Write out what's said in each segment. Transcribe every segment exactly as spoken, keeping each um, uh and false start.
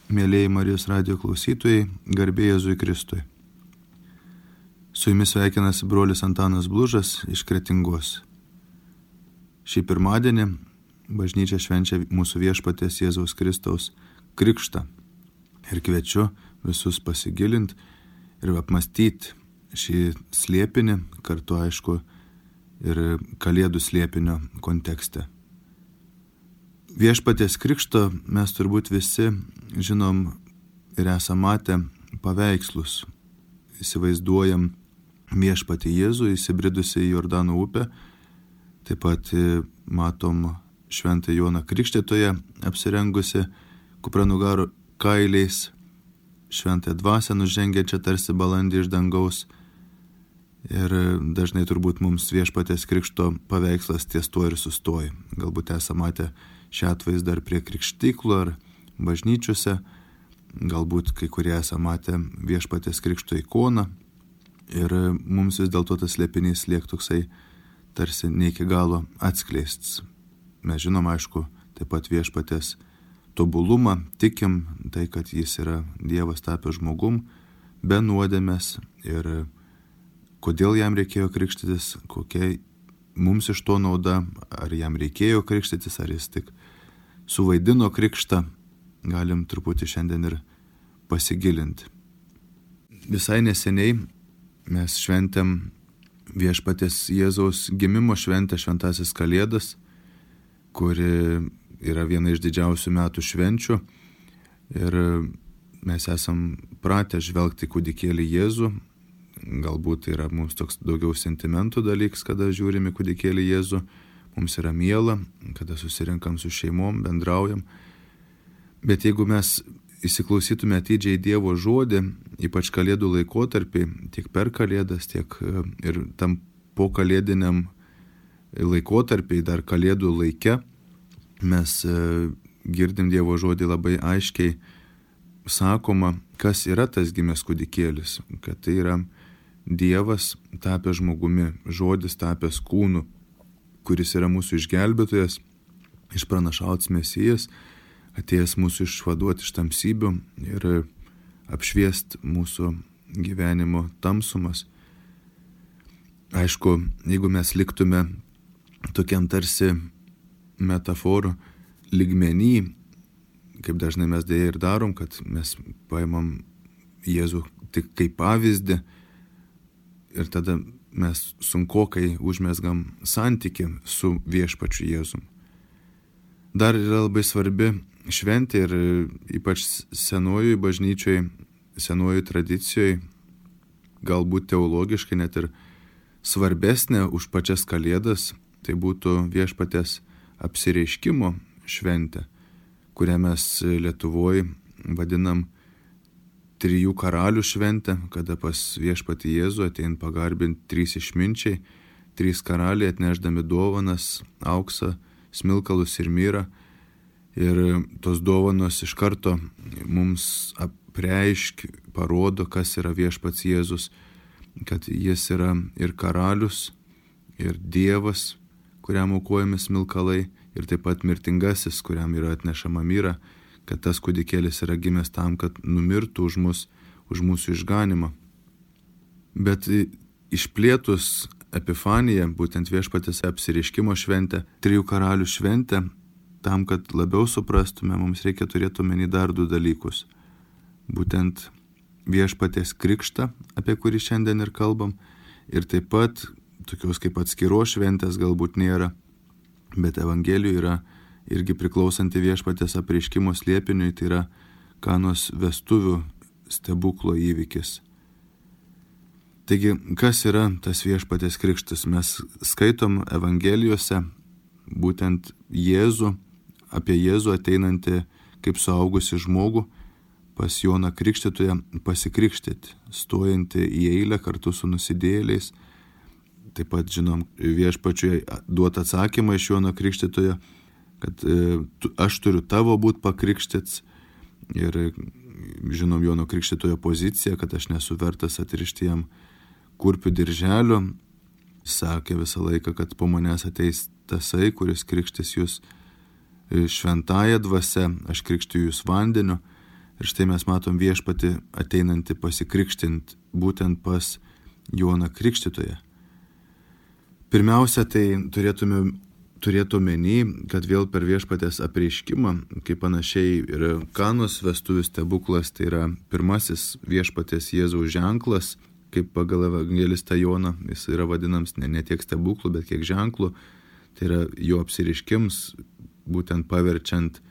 Mėlėjai Marijos radijo klausytojai, garbė Jėzui Kristui. Su jumis sveikinasi brolis Antanas Blužas iš Kretingos. Šį pirmadienį bažnyčia švenčia mūsų viešpaties Jėzaus Kristaus krikštą. Ir kviečiu visus pasigilinti ir apmastyti šį slėpinį, kartu aišku ir Kalėdų slėpinio kontekste. Viešpaties krikšto mes turbūt visi žinom ir esame matę paveikslus. Įsivaizduojam viešpatį Jėzų įsibridusi į Jordano upę, taip pat matom šventą Joną Krikštytoją apsirengusi kupranugaro kailiais, šventąją dvasią nužengiančią tarsi balandį iš dangaus. Ir dažnai turbūt mums viešpaties krikšto paveikslas ties tuo ir sustoja. Galbūt esame matę šią atvaizdą ar prie krikštyklų ar bažnyčiose, galbūt kai kurie esame matę viešpaties krikšto ikoną. Ir mums vis dėlto tas slėpinys liek toksai tarsi ne iki galo atskleistas. Mes žinom, aišku, taip pat viešpaties tobulumą, tikim tai, kad jis yra Dievas tapęs žmogum, be nuodėmės ir kodėl jam reikėjo krikštytis, kokia mums iš to nauda, ar jam reikėjo krikštytis, ar jis tik suvaidino krikštą, galim truputį šiandien ir pasigilinti. Visai neseniai mes šventėm viešpaties Jėzaus gimimo šventę, šventasis Kalėdas, kuri yra viena iš didžiausių metų švenčių. Ir mes esam pratę žvelgti kūdikėlį Jėzų. Galbūt tai yra mums toks daugiau sentimentų dalykas, kada žiūrime kūdikėlį Jėzų. Mums yra miela, kada susirinkam su šeimom, bendraujam. Bet jeigu mes įsiklausytume atidžiai Dievo žodį, ypač Kalėdų laikotarpį, tiek per Kalėdas, tiek ir tam po kalėdiniam laikotarpį, dar Kalėdų laike, mes girdim Dievo žodį labai aiškiai sakoma, kas yra tas gimęs kūdikėlis, kad tai yra Dievas tapęs žmogumi, žodis tapęs kūnu, kuris yra mūsų išgelbėtojas, išpranašautas Mesijas, atėjęs mūsų išvaduoti iš tamsybių ir apšviest mūsų gyvenimo tamsumas. Aišku, jeigu mes liktume tokiam tarsi metaforų lygmenį, kaip dažnai mes dėja ir darom, kad mes paimam Jėzų tik kaip pavyzdį ir tada mes sunkokai užmesgam santykį su viešpačiu Jėzum. Dar yra labai svarbi šventė ir ypač senojoj bažnyčioj, senojoj tradicijoj, galbūt teologiškai net ir svarbesnė už pačias Kalėdas, tai būtų viešpaties apsireiškimo šventė, kurią mes Lietuvoje vadinam trijų karalių šventę, kada pas viešpatį Jėzų atein pagarbinti trys išminčiai, trys karaliai atnešdami dovanas, auksą, smilkalus ir myrą. Ir tos dovanos iš karto mums apreiškia, parodo, kas yra viešpats Jėzus, kad jis yra ir karalius, ir Dievas, kuriam aukojami smilkalai, ir taip pat mirtingasis, kuriam yra atnešama myra, kad tas kūdikėlis yra gimęs tam, kad numirtų už mus, už mūsų išganimą. Bet išplėtus Epifaniją, būtent viešpatės apsireiškimo šventę, trijų karalių šventę, tam, kad labiau suprastume, mums reikia turėti omeny dar du dalykus. Būtent viešpatės krikštą, apie kurį šiandien ir kalbam, ir taip pat tokios kaip atskiros šventės galbūt nėra, bet Evangelijų yra irgi priklausanti viešpatės apreiškimo slėpiniui, tai yra Kanos vestuvių stebuklo įvykis. Taigi, kas yra tas viešpatės krikštas? Mes skaitom Evangelijose būtent Jėzų, apie Jėzų ateinantį kaip suaugusi žmogų pas Joną Krikštytoją pasikrikštyti, stojantį į eilę kartu su nusidėjėliais. Taip pat žinom viešpačiui duotą atsakymą iš Jono Krikštytojo, kad e, tu, aš turiu tavo būt pakrikštyts, ir žinom Jono Krikštytojo poziciją, kad aš nesu vertas atrišti jam kurpių dirželio. Sakė visą laiką, kad po manęs ateis tasai, kuris krikštys jūs šventąja dvasia, aš krikštiju jūs vandeniu. Ir štai mes matom viešpatį ateinantį pasikrikštint būtent pas Joną Krikštytoją. Pirmiausia, tai turėtume turėtų omeny, kad vėl per viešpatės apreiškimą, kaip panašiai ir Kanos vestuvių stebuklas, tai yra pirmasis viešpatės Jėzaus ženklas, kaip pagal evangelistą Joną, jis yra vadinams ne, ne tiek stebuklų, bet kiek ženklų, tai yra jo apsireiškims, būtent paverčiant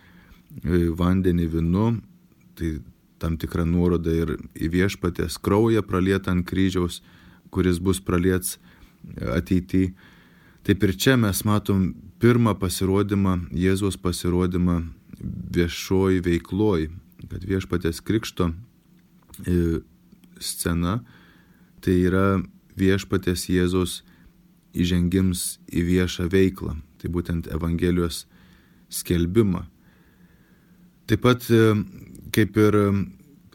vandenį vynu, tai tam tikra nuoroda ir į viešpatės kraują pralietą ant kryžiaus, kuris bus praliets ateityje. Taip ir čia mes matom pirmą pasirodymą, Jėzaus pasirodymą viešoj veikloj, kad viešpatės krikšto scena tai yra viešpatės Jėzaus įžengims į viešą veiklą, tai būtent Evangelijos skelbimą. Taip pat kaip ir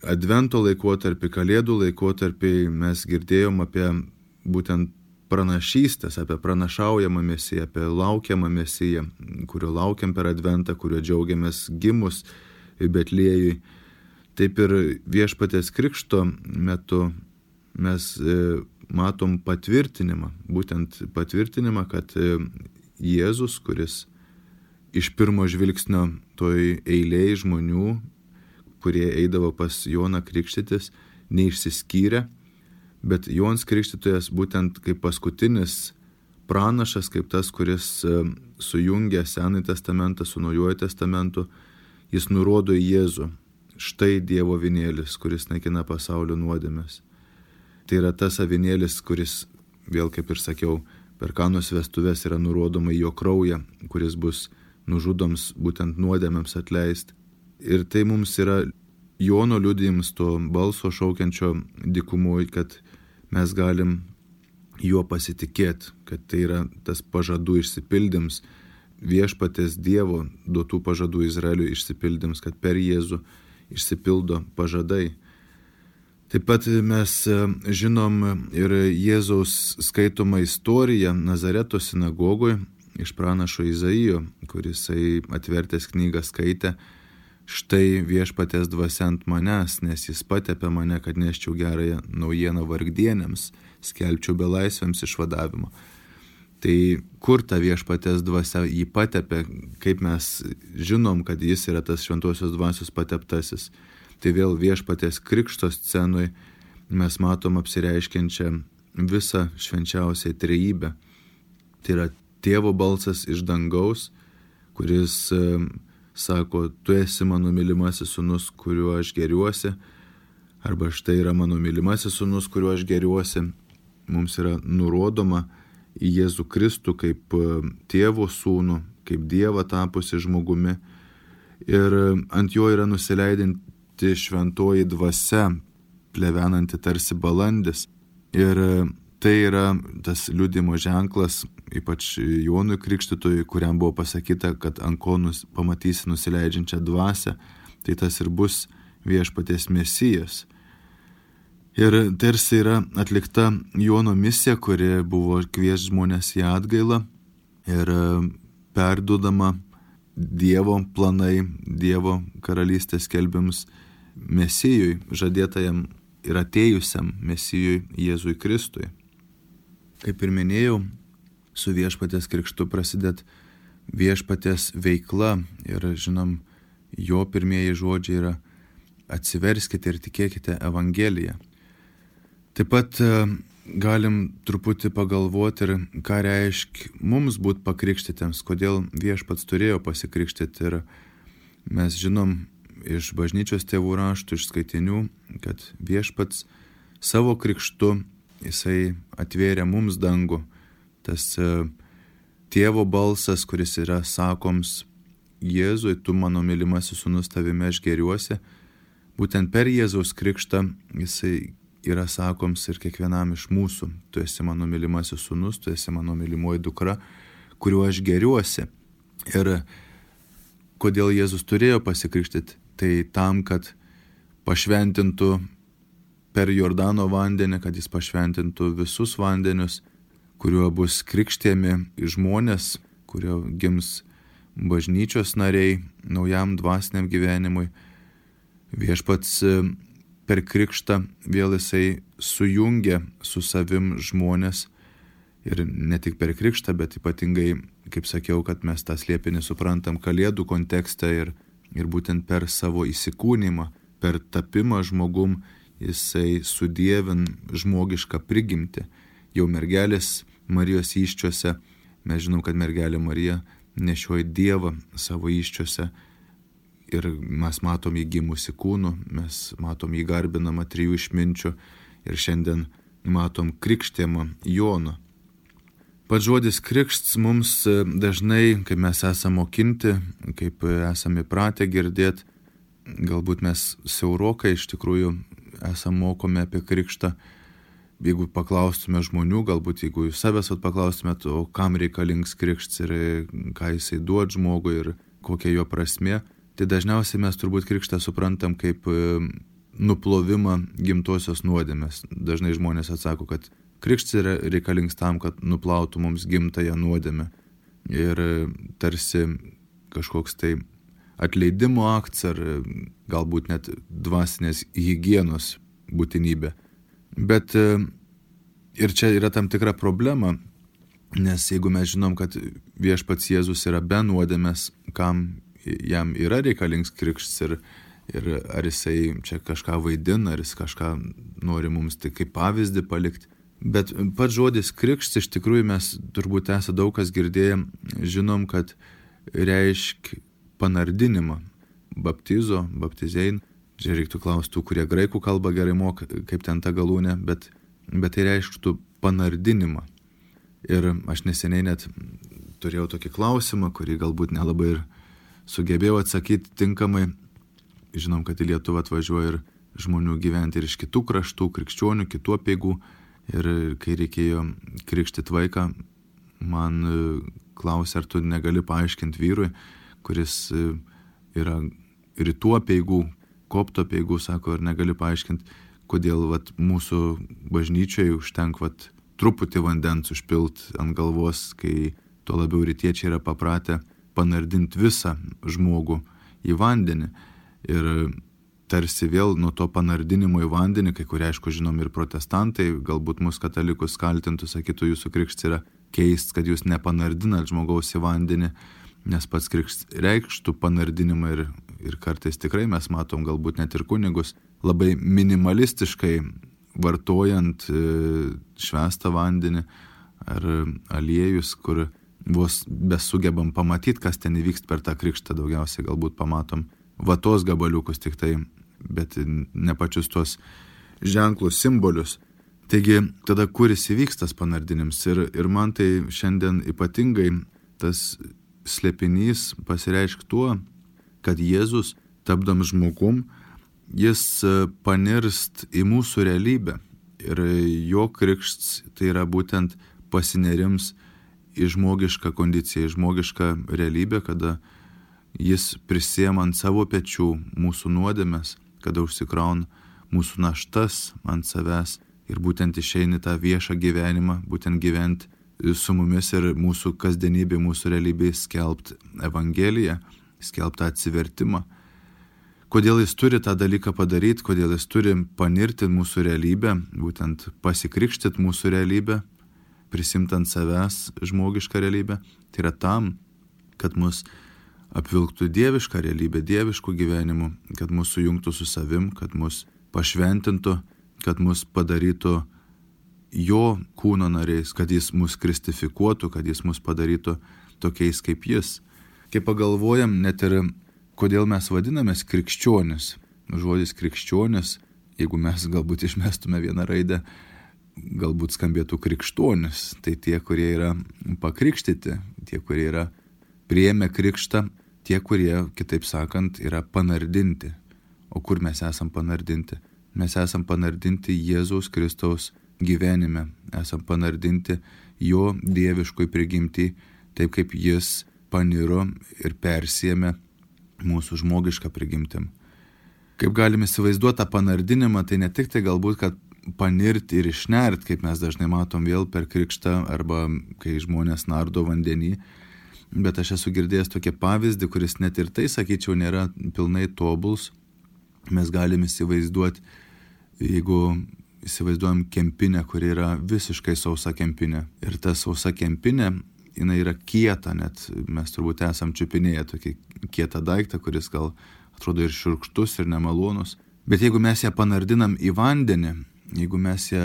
Advento laikotarpį, Kalėdų laikotarpį mes girdėjom apie būtent pranašystės, apie pranašaujamą Mesiją, apie laukiamą Mesiją, kurio laukiam per Adventą, kurio džiaugiamės gimus Betliejui. Taip ir viešpatės krikšto metu mes matom patvirtinimą, būtent patvirtinimą, kad Jėzus, kuris iš pirmo žvilgsnio toj eilėj žmonių, kurie eidavo pas Joną krikštytis, neišsiskyrė, bet Jonas Krikštytojas būtent kaip paskutinis pranašas, kaip tas, kuris sujungia Senąjį testamentą su Naujuoju testamentu, jis nurodo į Jėzų. Štai Dievo avinėlis, kuris naikina pasaulio nuodėmes. Tai yra tas avinėlis, kuris, vėl kaip ir sakiau, per Kanos vestuves yra nurodoma į jo kraują, kuris bus nužudoms būtent nuodėmėms atleist. Ir tai mums yra Jono liudijimas, to balso šaukiančio dykumoj, kad mes galim juo pasitikėti, kad tai yra tas pažadų išsipildyms, viešpatės Dievo duotų pažadų Izraeliui išsipildyms, kad per Jėzų išsipildo pažadai. Taip pat mes žinom ir Jėzaus skaitomą istoriją Nazareto sinagogoje iš pranašo Izaijo, kuris atvertęs knygą skaitė: štai viešpatės dvasia ant manęs, nes jis patepė mane, kad neščiau gerąją naujieną vargdienėms, skelbčiau belaisviams išvadavimo. Tai kur ta viešpatės dvasia jį patepė, kaip mes žinom, kad jis yra tas šventosios dvasios pateptasis. Tai vėl viešpatės krikšto scenoj mes matom apsireiškiančią visą švenčiausią trejybę. Tai yra tėvo balsas iš dangaus, kuris sako: tu esi mano mylimasis sūnus, kuriuo aš geriuosi, arba štai yra mano mylimasis sūnus, kuriuo aš geriuosi. Mums yra nurodoma į Jėzų Kristų kaip tėvo sūnų, kaip Dievą tapusi žmogumi. Ir ant jo yra nusileidinti šventoji dvasia, plevenanti tarsi balandis. Ir tai yra tas liudijimo ženklas, ypač Jonui Krikštytojui, kuriam buvo pasakyta, kad ant ko nus, pamatysi nusileidžiančią dvasią, tai tas ir bus viešpaties Mesijas. Ir tarsi yra atlikta Jono misija, kuri buvo kvies žmonės į atgailą ir perduodama Dievo planai, Dievo karalystės skelbimus Mesijui, žadėtajam ir atėjusiam Mesijui Jėzui Kristui. Kaip ir minėjau, su viešpatės krikštu prasidėt viešpatės veikla ir žinom, jo pirmieji žodžiai yra: atsiverskite ir tikėkite Evangeliją. Taip pat galim truputį pagalvoti ir ką reiškia mums būti pakrikštytiems, kodėl viešpats turėjo pasikrikštyti. Ir mes žinom iš bažnyčios tėvų raštų, iš skaitinių, kad viešpats savo krikštu jisai atvėrė mums dangų. Tas tėvo balsas, kuris yra sakoms: Jėzui, tu mano mylimasis sūnus, tavimi aš geriuosi. Būtent per Jėzaus krikštą jisai yra sakoms ir kiekvienam iš mūsų: tu esi mano mylimasis sūnus, tu esi mano mylimoji dukra, kuriuo aš geriuosi. Ir kodėl Jėzus turėjo pasikrikštyti? Tai tam, kad pašventintų per Jordano vandenį, kad jis pašventintų visus vandenius, kuriuo bus krikštėmi žmonės, kurio gims bažnyčios nariai naujam dvasiniam gyvenimui. Viešpats per krikštą vėl jisai sujungia su savim žmonės ir ne tik per krikštą, bet ypatingai, kaip sakiau, kad mes tą slėpinį suprantam Kalėdų kontekste ir, ir būtent per savo įsikūnymą, per tapimą žmogum jisai sudievin žmogišką prigimtį. Jau mergelės Marijos įsčiose, mes žinom, kad mergelė Marija nešioja Dievą savo įsčiose ir mes matom jį gimusi kūnu, mes matom jį garbinamą trijų išminčių ir šiandien matom krikštėjimą Jono. Pats žodis krikšts mums dažnai, kai mes esame mokinti, kaip esame įpratę girdėti, galbūt mes siaurokai iš tikrųjų esame mokomi apie krikštą. Jeigu paklaustume žmonių, galbūt jeigu jūs savęs paklaustumėt, o kam reikalingas krikštas ir ką jisai duod žmogui ir kokia jo prasmė, tai dažniausiai mes turbūt krikštą suprantam kaip nuplovimą gimtosios nuodėmės. Dažnai žmonės atsako, kad krikštas yra reikalingas tam, kad nuplautų mums gimtąją nuodėmę. Ir tarsi kažkoks tai atleidimo aktas ar galbūt net dvasinės higienos būtinybė. Bet ir čia yra tam tikra problema, nes jeigu mes žinom, kad viešpats Jėzus yra be nuodėmės, kam jam yra reikalingas krikštas ir, ir ar jisai čia kažką vaidina, ar jis kažką nori mums tai kaip pavyzdį palikti. Bet pats žodis krikštas iš tikrųjų mes turbūt esame daug kas girdėję, žinom, kad reiškia panardinimą, baptizo, baptizein. Čia reiktų klausti tų, kurie graikų kalbą gerai moka, kaip ten ta galūnė, bet, bet tai reikštų panardinimą. Ir aš neseniai net turėjau tokį klausimą, kurį galbūt nelabai ir sugebėjau atsakyti tinkamai. Žinom, kad į Lietuvą atvažiuoja ir žmonių gyventi ir iš kitų kraštų, krikščionių, kitų apeigų. Ir kai reikėjo krikštyti vaiką, man klausė, ar tu negali paaiškinti vyrui, kuris yra rytų apeigų, kopto apeigų, sako, ir negali paaiškinti, kodėl vat, mūsų bažnyčioje užtenk vat, truputį vandens užpilt ant galvos, kai tuo labiau rytiečiai yra papratę panardinti visą žmogų į vandenį. Ir tarsi vėl nuo to panardinimo į vandenį, kai kurie aišku žinom ir protestantai, galbūt mus katalikus kaltintų, sakytų, jūsų krikštas yra keist, kad jūs nepanardinat žmogaus į vandenį, nes pats krikštas reikštų panardinimą ir Ir kartais tikrai mes matom galbūt net ir kunigus labai minimalistiškai vartojant švęstą vandenį ar aliejus, kur vos besugebam pamatyti, kas ten įvyks per tą krikštą, daugiausiai galbūt pamatom vatos gabaliukus tik tai, bet ne pačius tuos ženklus, simbolius. Taigi tada kuris įvyks tas panardinims ir, ir man tai šiandien ypatingai tas slėpinys pasireiškia tuo, kad Jėzus, tapdam žmogum, jis panirst į mūsų realybę. Ir jo krikštas tai yra būtent pasinerims į žmogišką kondiciją, į žmogišką realybę, kada jis prisiema ant savo pečių mūsų nuodėmes, kada užsikrauna mūsų naštas ant savęs ir būtent išeini tą viešą gyvenimą, būtent gyventi su mumis ir mūsų kasdienybė, mūsų realybė skelbti Evangeliją, skelbtą atsivertimą. Kodėl jis turi tą dalyką padaryti, kodėl jis turi panirti mūsų realybę, būtent pasikrikštyti mūsų realybę, prisimti ant savęs žmogišką realybę, tai yra tam, kad mus apvilktų dievišką realybę, dieviškų gyvenimų, kad mus sujungtų su savim, kad mus pašventintų, kad mus padarytų jo kūno nariais, kad jis mus kristifikuotų, kad jis mus padarytų tokiais kaip jis. Kai pagalvojam net ir kodėl mes vadinamės krikščionis. Žodis krikščionis, jeigu mes galbūt išmestume vieną raidę, galbūt skambėtų krikštonis. Tai tie, kurie yra pakrikštyti, tie, kurie yra priėmę krikštą, tie, kurie, kitaip sakant, yra panardinti. O kur mes esam panardinti? Mes esam panardinti Jėzaus Kristaus gyvenime. Esam panardinti jo dieviškoj prigimtį, taip kaip jis paniro ir persėmė mūsų žmogišką prigimtim. Kaip galime įsivaizduoti tą panardinimą, tai ne tik tai galbūt, kad panirti ir išnert, kaip mes dažnai matom vėl per krikštą arba kai žmonės nardo vandenį, bet aš esu girdėjęs tokį pavyzdį, kuris net ir tai, sakyčiau, nėra pilnai tobuls, Mes galime įsivaizduoti, jeigu įsivaizduojam kempinę, kuri yra visiškai sausa kempinė. Ir ta sausa kempinė, jinai yra kieta, net mes turbūt esam čiupinėję tokį kietą daiktą, kuris gal atrodo ir šiurkštus, ir nemalonus. Bet jeigu mes ją panardinam į vandenį, jeigu mes ją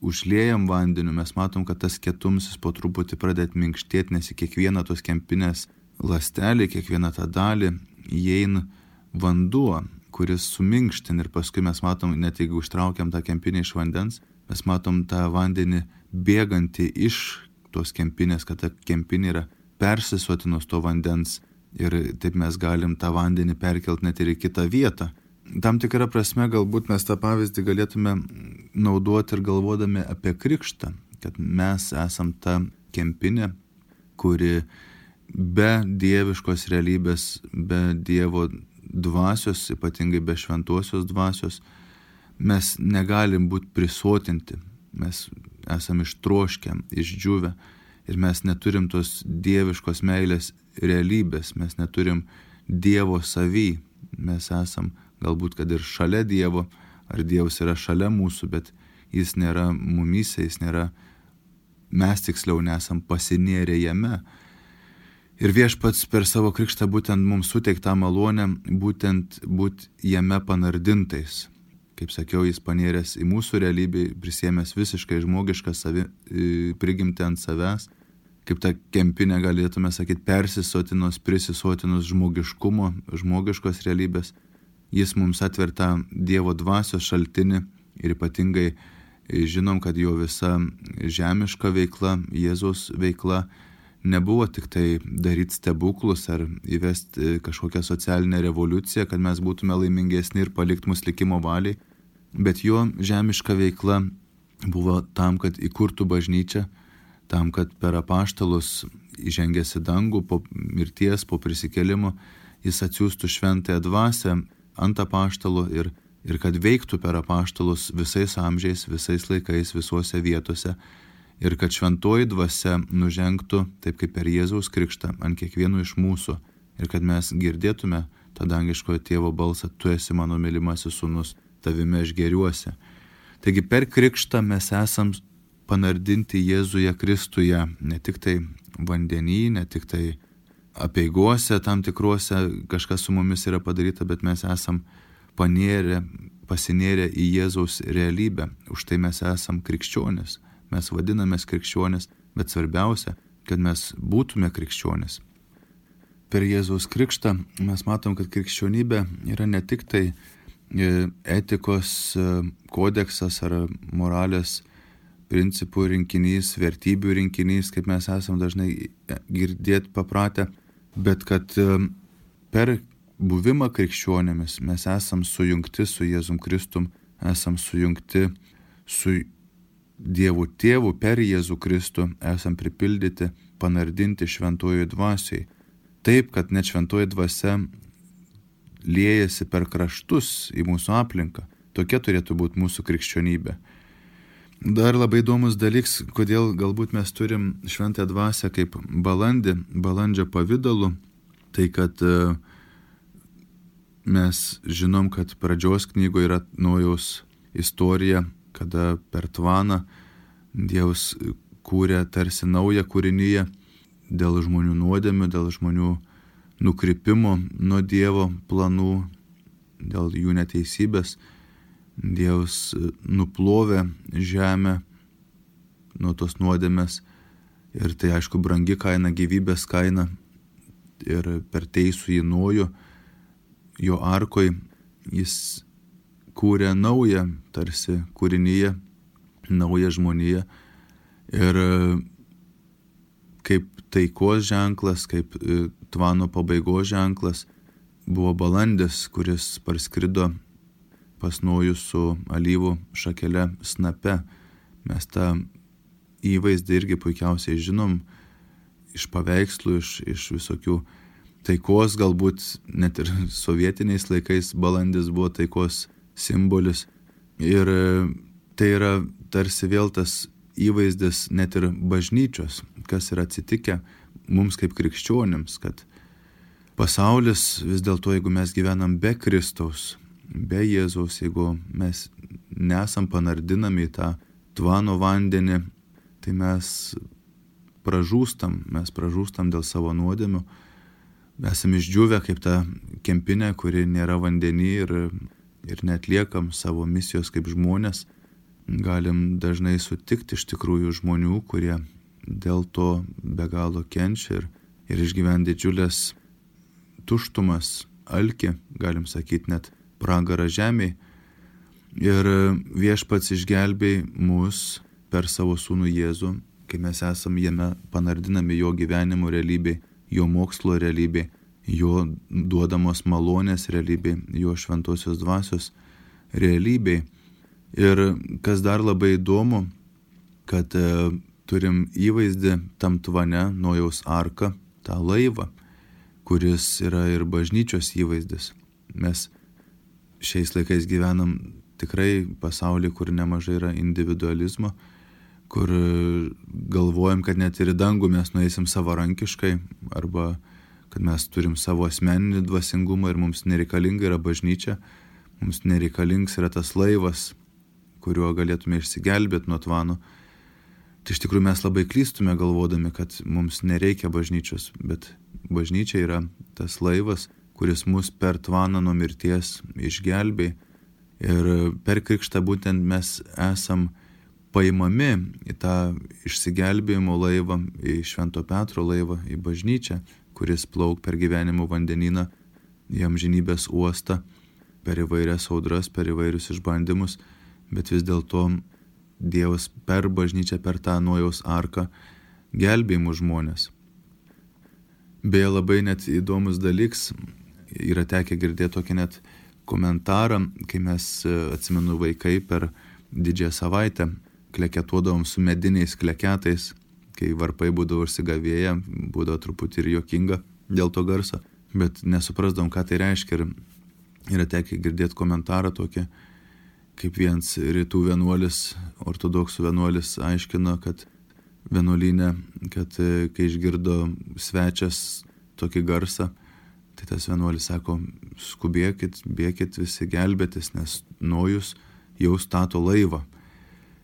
užliejam vandeniu, mes matom, kad tas kietumsis po truputį pradeda minkštėti, nes į kiekvieną tos kempinės ląstelį, kiekvieną tą dalį įeina vanduo, kuris suminkštin, ir paskui mes matom, net jeigu užtraukiam tą kempinę iš vandens, mes matom tą vandenį bėgantį iš tos kempinės, kad ta kempinė yra persisotinus to vandens, ir taip mes galim tą vandenį perkelti net ir į kitą vietą. Tam tikrą prasme galbūt mes tą pavyzdį galėtume naudoti ir galvodami apie krikštą, kad mes esam ta kempinė, kuri be dieviškos realybės, be Dievo dvasios, ypatingai be šventosios dvasios, mes negalim būti prisotinti, mes esam ištroškę, išdžiūvę, ir mes neturim tos dieviškos meilės realybės, mes neturim Dievo savy, mes esam galbūt kad ir šalia Dievo, ar Dievas yra šalia mūsų, bet jis nėra mumyse, jis nėra, mes tiksliau nesam pasinėrę jame. Ir Viešpats per savo krikštą būtent mums suteiktą malonę, būtent būti jame panardintais. Kaip sakiau, jis panėręs į mūsų realybę, prisėmęs visiškai žmogišką savi, prigimtį ant savęs, kaip ta kempinė galėtume sakyti, persisotinus, prisisotinus žmogiškumo, žmogiškos realybės. Jis mums atverta Dievo dvasios šaltinį, ir ypatingai žinom, kad jo visa žemiška veikla, Jėzaus veikla, nebuvo tik tai daryti stebuklus ar įvesti kažkokią socialinę revoliuciją, kad mes būtume laimingesni ir palikti mus likimo valiai, bet jo žemiška veikla buvo tam, kad įkurtų bažnyčią, tam, kad per apaštalus įžengęs į dangų po mirties, po prisikėlimo, jis atsiųstų šventąją dvasią ant apaštalų ir, ir kad veiktų per apaštalus visais amžiais, visais laikais, visuose vietose, ir kad šventoji dvasia nužengtų, taip kaip per Jėzaus krikštą, ant kiekvieno iš mūsų, ir kad mes girdėtume tą dangiškojo tėvo balsą, tu esi mano mylimasis sūnus, tavime aš gėriuosi. Taigi per krikštą mes esam panardinti Jėzuje Kristuje, ne tik tai vandenį, ne tik tai apeigose tam tikruose kažkas su mumis yra padaryta, bet mes esam panėrę, pasinėrę į Jėzaus realybę, už tai mes esam krikščionis. Mes vadinamės krikščionis, bet svarbiausia, kad mes būtume krikščionis. Per Jėzaus krikštą mes matom, kad krikščionybė yra ne tik tai etikos kodeksas ar moralės principų rinkinys, vertybių rinkinys, kaip mes esam dažnai girdėti papratę, bet kad per buvimą krikščionėmis mes esam sujungti su Jėzum Kristum, esam sujungti su Dievu Tėvu per Jėzų Kristų, esam pripildyti, panardinti šventojoj dvasiai. Taip, kad net šventoji dvasia liejasi per kraštus į mūsų aplinką. Tokia turėtų būti mūsų krikščionybė. Dar labai įdomus dalyks, kodėl galbūt mes turim šventąją dvasią kaip balandį, balandžio pavidalu, tai kad mes žinom, kad pradžios knygoje yra Nojaus istorija, kada per tvaną Dievas kūrė tarsi naują kūrinyje dėl žmonių nuodėmių, dėl žmonių nukrypimo nuo Dievo planų, dėl jų neteisybės. Dievas nuplovė žemę nuo tos nuodėmės, ir tai aišku brangi kaina, gyvybės kaina, ir per teisų į Nojų, jo arkoj, jis kūrė naują tarsi kūrinyje, naują žmoniją, ir kaip taikos ženklas, kaip tvano pabaigos ženklas buvo balandis, kuris parskrido pas Nojų su alyvų šakele snape. Mes tą įvaizdį irgi puikiausiai žinom iš paveikslų, iš, iš visokių taikos, galbūt net ir sovietiniais laikais balandis buvo taikos simbolis. Ir tai yra tarsi vėl tas įvaizdis net ir bažnyčios, kas yra atsitikę mums kaip krikščionims, kad pasaulis vis dėlto, jeigu mes gyvenam be Kristaus, be Jėzaus, jeigu mes nesam panardinami į tą tvano vandenį, tai mes pražūstam, mes pražūstam dėl savo nuodėmių. Esame išdžiūvę kaip ta kempinė, kuri nėra vandenį ir, ir netliekam savo misijos kaip žmonės. Galim dažnai sutikti iš tikrųjų žmonių, kurie dėl to be galo kenčia ir, ir išgyvena didžiulės tuštumas, alkį, galim sakyti net pragarą žemėj. Ir Viešpats išgelbėj mus per savo sūnų Jėzų, kai mes esam jame panardinami jo gyvenimo realybėj, jo mokslo realybėj, jo duodamos malonės realybėj, jo šventosios dvasios realybėj. Ir kas dar labai įdomu, kad e, turim įvaizdį tam tvane Nojaus arką, tą laivą, kuris yra ir bažnyčios įvaizdis. Mes šiais laikais gyvenam tikrai pasaulyje, kur nemažai yra individualizmo, kur galvojam, kad net ir į dangų mes nueisim savarankiškai, arba kad mes turim savo asmeninį dvasingumą ir mums nereikalinga yra bažnyčia, mums nereikalingas yra tas laivas, kuriuo galėtume išsigelbėti nuo tvano. Tai iš tikrųjų mes labai klystume galvodami, kad mums nereikia bažnyčios, bet bažnyčia yra tas laivas, kuris mus per tvaną nuo mirties išgelbė. Ir per krikštą būtent mes esam paimami į tą išsigelbėjimo laivą, į Švento Petro laivą, į bažnyčią, kuris plauk per gyvenimo vandenyną, į amžinybės uostą, per įvairias audras, per įvairius išbandymus, bet vis dėlto Dievas per bažnyčią, per tą Nojaus arką gelbėja mus žmonės. Beje, labai net įdomus dalyks, yra tekę girdėti tokį net komentarą, kai mes, atsimenu, vaikai per didžiąją savaitę kleketuodavom su mediniais kleketais, kai varpai būdavo užsigavėję, būdavo truputį ir juokinga dėl to garso, bet nesuprasdavom, ką tai reiškia. Ir yra tekę girdėti komentarą tokį, kaip vienas rytų vienuolis, ortodoksų vienuolis aiškino, kad vienuolyne, kad kai išgirdo svečias tokį garsą, tai tas vienuolis sako, skubėkit, bėkit visi gelbėtis, nes Nojus jau stato laivą.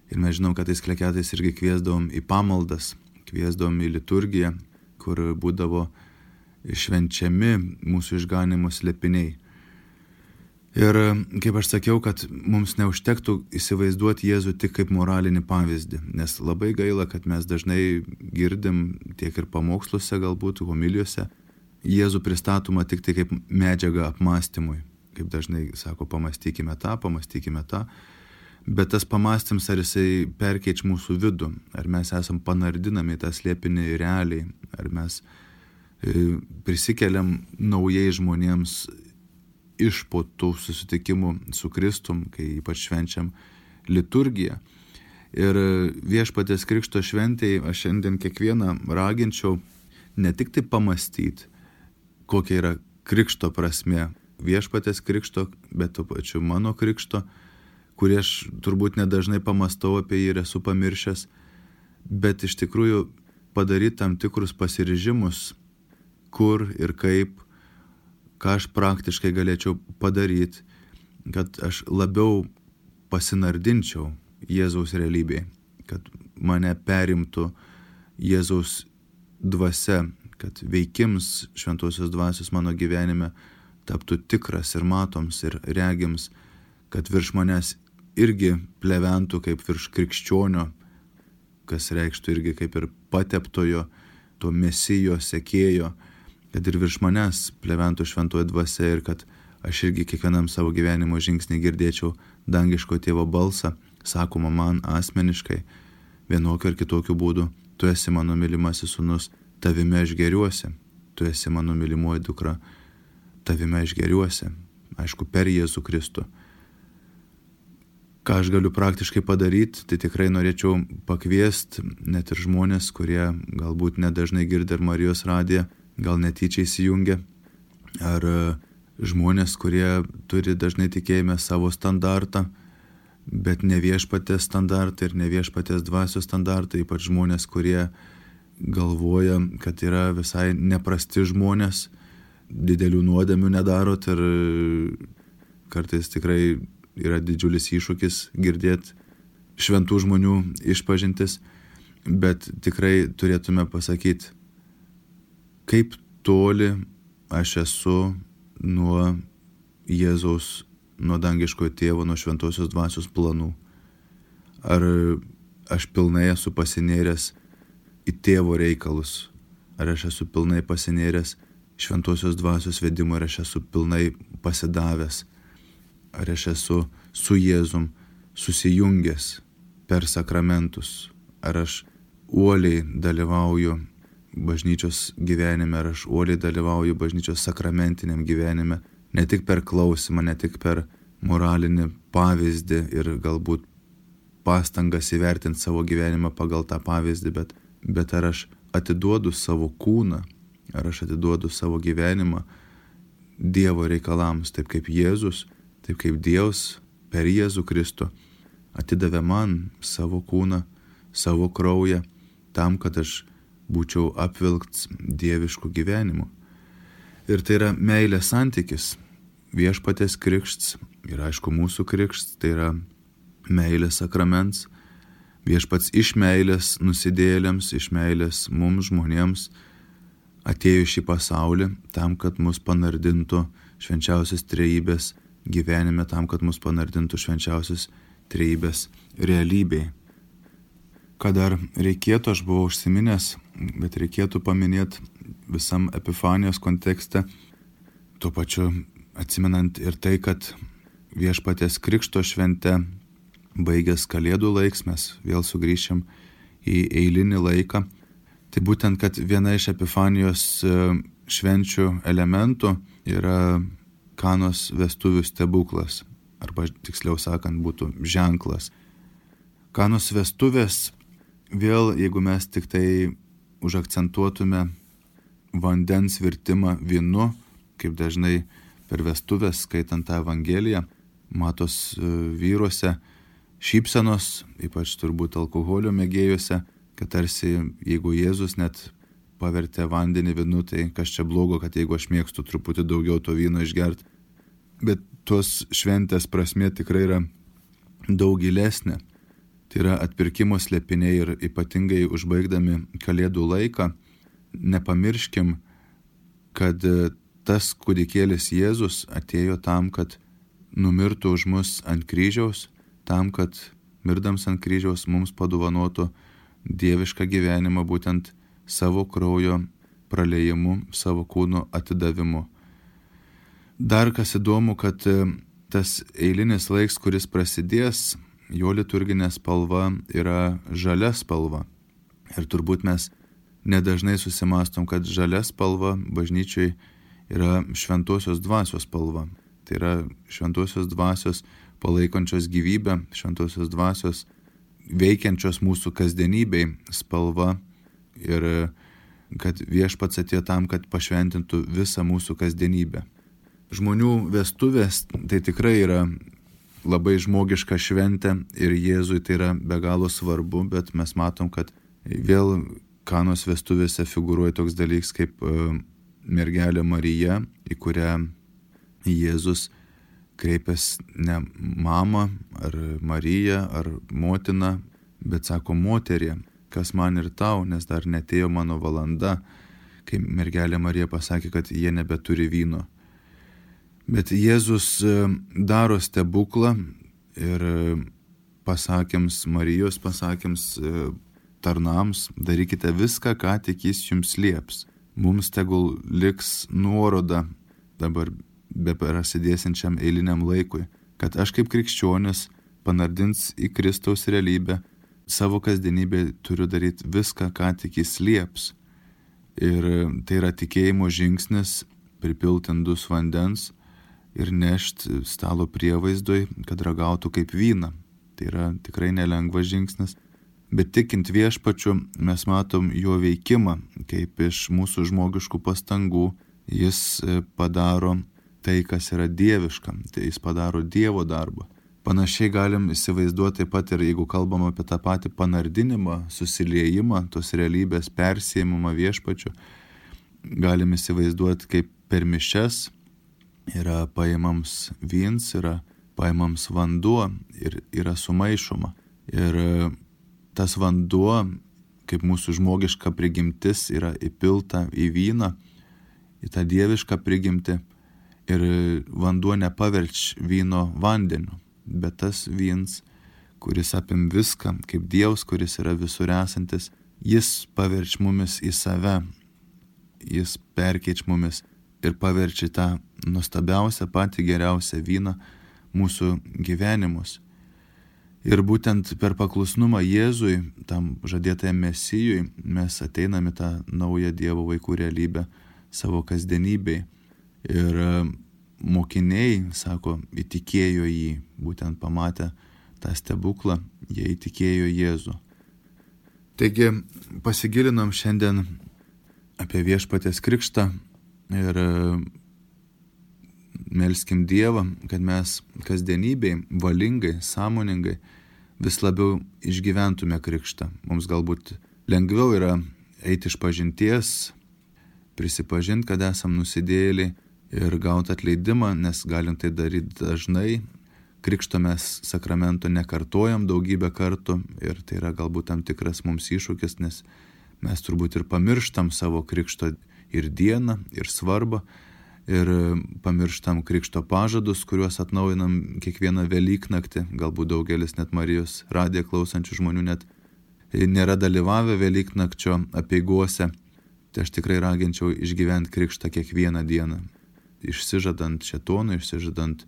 Ir mes žinom, kad tais kleketais irgi kviesdavom į pamaldas, kviesdavom į liturgiją, kur būdavo švenčiami mūsų išganimo slėpiniai. Ir kaip aš sakiau, kad mums neužtektų įsivaizduoti Jėzų tik kaip moralinį pavyzdį, nes labai gaila, kad mes dažnai girdim tiek ir pamoksluose, galbūt homilijose, Jėzų pristatoma tik tai kaip medžiaga apmąstymui. Kaip dažnai sako, pamastykime tą, pamastykime tą. Bet tas pamastymas, ar jisai perkeič mūsų vidų, ar mes esam panardinami tą slėpinį realiai, ar mes prisikeliam naujai žmonėms iš po tų susitikimų su Kristum, kai ypač švenčiam liturgiją. Ir Viešpaties Krikšto šventėje aš šiandien kiekvieną raginčiau ne tik tai pamastyti, kokia yra Krikšto prasmė, Viešpaties Krikšto, bet tuo pačiu mano Krikšto, kurį aš turbūt nedažnai pamastau apie jį ir esu pamiršęs, bet iš tikrųjų padaryti tam tikrus pasiryžimus, kur ir kaip, ką aš praktiškai galėčiau padaryti, kad aš labiau pasinardinčiau Jėzaus realybėje, kad mane perimtų Jėzaus dvasia, kad veikims šventosios dvasios mano gyvenime taptų tikras ir matoms ir regims, kad virš manęs irgi pleventų kaip virš krikščionio, kas reikštų irgi kaip ir pateptojo, to mesijo, sekėjo, kad ir virš manęs pleventų šventoji dvasia ir kad aš irgi kiekvienam savo gyvenimo žingsnį girdėčiau dangiško tėvo balsą, sakoma man asmeniškai, vienokiu ar kitokiu būdu, tu esi mano mylimasis sūnus, tavime aš geriuosi, tu esi mano mylimoji dukra, tavime aš geriuosi, aišku, per Jėzų Kristų. Ką aš galiu praktiškai padaryti, tai tikrai norėčiau pakviesti net ir žmonės, kurie galbūt nedažnai girdi ir Marijos radiją, gal netyčia įsijungia, ar žmonės, kurie turi dažnai tikėjime savo standartą, bet ne Viešpaties standartą ir ne Viešpaties dvasios standartą, ypač žmonės, kurie galvoja, kad yra visai neprasti žmonės, didelių nuodėmių nedarot ir kartais tikrai yra didžiulis iššūkis girdėti šventų žmonių išpažintis, bet tikrai turėtume pasakyti, kaip toli aš esu nuo Jėzaus, nuo dangiškojo tėvo, nuo šventosios dvasios planų. Ar aš pilnai esu pasinėręs į tėvo reikalus, ar aš esu pilnai pasinėręs šventosios dvasios vedimo, ar aš esu pilnai pasidavęs, ar aš esu su Jėzum susijungęs per sakramentus, ar aš uoliai dalyvauju bažnyčios gyvenime, ar aš uoliai dalyvauju bažnyčios sakramentiniam gyvenime, ne tik per klausimą, ne tik per moralinį pavyzdį ir galbūt pastangas įvertinti savo gyvenimą pagal tą pavyzdį, bet, bet ar aš atiduodu savo kūną, ar aš atiduodu savo gyvenimą Dievo reikalams, taip kaip Jėzus, taip kaip Dievas per Jėzų Kristų atidavė man savo kūną, savo kraują, tam, kad aš būčiau apvilkts dievišku gyvenimu. Ir tai yra meilės santykis, viešpaties krikštas ir aišku mūsų krikštas, tai yra meilės sakraments, viešpats iš meilės nusidėjėliams, iš meilės mums žmonėms atėjo šį pasaulį tam, kad mus panardintų švenčiausios trejybės gyvenime, tam, kad mus panardintų švenčiausios trejybės realybėje. Ką dar reikėtų, aš buvau užsiminęs, bet reikėtų paminėti visam Epifanijos kontekste, tuo pačiu atsimenant ir tai, kad viešpaties krikšto švente baigęs Kalėdų laiks, mes vėl sugrįšim į eilinį laiką. Tai būtent, kad viena iš Epifanijos švenčių elementų yra Kanos vestuvių stebuklas, arba tiksliau sakant būtų ženklas. Kanos vestuvės, vėl jeigu mes tik tai užakcentuotume vandens virtimą vynu, kaip dažnai per vestuvės skaitant tą Evangeliją, matos vyruose šypsenos, ypač turbūt alkoholio mėgėjuose, kad tarsi jeigu Jėzus net pavertė vandenį vynu, tai kas čia blogo, kad jeigu aš mėgstu truputį daugiau to vyno išgerti. Bet tos šventės prasmė tikrai yra daug gilesnė. Tai yra atpirkimo slėpiniai ir ypatingai užbaigdami Kalėdų laiką, nepamirškim, kad tas kūdikėlis Jėzus atėjo tam, kad numirtų už mus ant kryžiaus, tam, kad mirdams ant kryžiaus mums padovanotų dievišką gyvenimą būtent savo kraujo praleijimu, savo kūno atidavimu. Dar kas įdomu, kad tas eilinis laiks, kuris prasidės, jo liturginė spalva yra žalia spalva. Ir turbūt mes nedažnai susimastom, kad žalia spalva bažnyčiai yra šventosios dvasios spalva. Tai yra šventosios dvasios palaikančios gyvybę, šventosios dvasios veikiančios mūsų kasdienybei spalva ir kad viešpats atėjo tam, kad pašventintų visą mūsų kasdienybę. Žmonių vestuvės tai tikrai yra labai žmogiška šventė ir Jėzui tai yra be galo svarbu, bet mes matom, kad vėl Kanos vestuvėse figūruoja toks dalykas kaip mergelė Marija, į kurią Jėzus kreipęs ne mamą ar Mariją ar motiną, bet sako moterį, kas man ir tau, nes dar netėjo mano valanda, kai mergelė Marija pasakė, kad jie nebeturi vyno. Bet Jėzus daro stebuklą ir pasakėms Marijos, pasakėms tarnams, darykite viską, ką tik jis jums lieps. Mums tegul liks nuoroda dabar be prasidėsiančiam eiliniam laikui, kad aš kaip krikščionis panardins į Kristaus realybę, savo kasdienybę turiu daryti viską, ką tik jis lieps. Ir tai yra tikėjimo žingsnis, pripilti indus vandens ir nešti stalo prievaizdui, kad ragautų kaip vyną. Tai yra tikrai nelengvas žingsnis, bet tikint viešpačiu mes matom jo veikimą, kaip iš mūsų žmogiškų pastangų jis padaro tai, kas yra dieviška, tai jis padaro Dievo darbą. Panašiai galim įsivaizduoti taip pat ir jeigu kalbam apie tą patį panardinimą, susiliejimą, tos realybės persėjimą viešpačiu, galim įsivaizduoti, kaip per mišias yra paimams vyns, yra paimams vanduo ir yra sumaišoma. Ir tas vanduo, kaip mūsų žmogiška prigimtis, yra įpilta į vyną, į tą dievišką prigimtį. Ir vanduo nepaverč vyno vandeniu, bet tas vyns, kuris apim viską, kaip Dievas, kuris yra visur esantis, jis paverč mumis į save, jis perkeič mumis ir paverčia tą nuostabiausią, patį geriausią vyną mūsų gyvenimus. Ir būtent per paklusnumą Jėzui, tam žadėtajam Mesijui, mes ateiname tą naują Dievo vaikų realybę savo kasdienybėj. Ir mokiniai, sako, įtikėjo jį, būtent pamatę tą stebuklą, jie įtikėjo Jėzų. Taigi pasigilinom šiandien apie Viešpaties krikštą ir melskim Dievą, kad mes kasdienybėj valingai, sąmoningai vis labiau išgyventume krikštą. Mums galbūt lengviau yra eiti iš pažinties, prisipažinti, kad esam nusidėjėliai ir gauti atleidimą, nes galim tai daryti dažnai. Krikšto mes sakramento nekartojam daugybę kartų ir tai yra galbūt tam tikras mums iššūkis, nes mes turbūt ir pamirštam savo krikšto ir dieną, ir svarbą, ir pamirštam krikšto pažadus, kuriuos atnaujinam kiekvieną Velyknaktį. Galbūt daugelis net Marijos radiją klausančių žmonių net nėra dalyvavę Velyknakčio apeigose. Tai aš tikrai raginčiau išgyventi krikštą kiekvieną dieną, išsižadant šėtono, išsižadant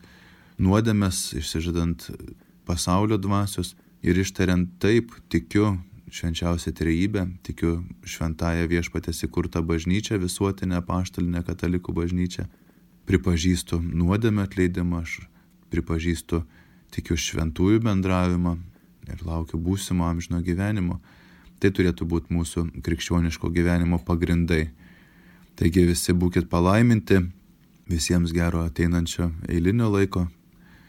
nuodėmes, išsižadant pasaulio dvasios ir ištariant taip, tikiu švenčiausią trejybę, tikiu šventąją Viešpaties įkurtą bažnyčią, visuotinę apaštalinę katalikų bažnyčią, pripažįstu nuodėmę atleidimą, aš pripažįstu, tikiu šventųjų bendravimą ir laukiu būsimo amžino gyvenimo. Tai turėtų būti mūsų krikščioniško gyvenimo pagrindai. Taigi visi būkit palaiminti, visiems gero ateinančio eilinio laiko,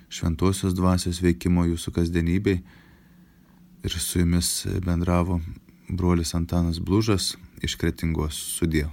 šventosios dvasios veikimo jūsų kasdienybei. Ir su jumis bendravo brolis Antanas Blužas iš Kretingos. Sudie.